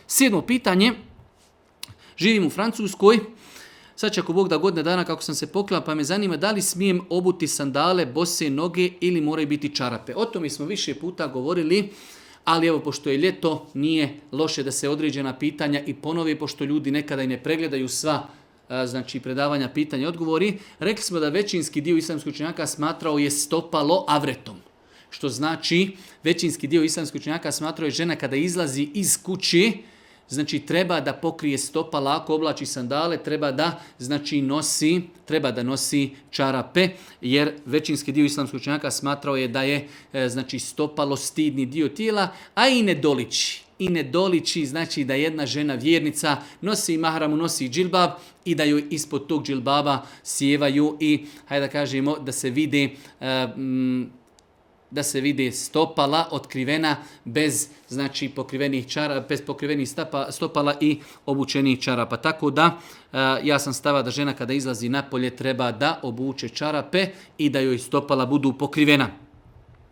7. pitanje. Živim u Francuskoj. Sad će ako Bog da godine dana kako sam se poklao, pa me zanima da li smijem obuti sandale, bose noge ili moraju biti čarape. O tome smo više puta govorili, ali evo pošto je ljeto nije loše da se određena pitanja i ponove, pošto ljudi nekada i ne pregledaju sva znači predavanja, pitanja i odgovori. Rekli smo da većinski dio islamskih učenjaka smatrao je stopalo avretom. Što znači većinski dio islamskih učenjaka smatrao je žena kada izlazi iz kuće, znači treba da pokrije stopala, ako oblači sandale, treba da nosi čarape, jer većinski dio islamskih učenjaka smatrao je da je znači stopalo stidni dio tijela, a i ne doliči. I ne doliči znači da jedna žena vjernica nosi mahramu, nosi džilbab i da joj ispod tog džilbaba sjevaju i, hajde da kažemo, da se vide stopala otkrivena bez znači pokrivenih čarapa, bez pokrivenih stopala i obučenih čarapa. Tako da ja sam stava da žena kada izlazi napolje treba da obuče čarape i da joj stopala budu pokrivena.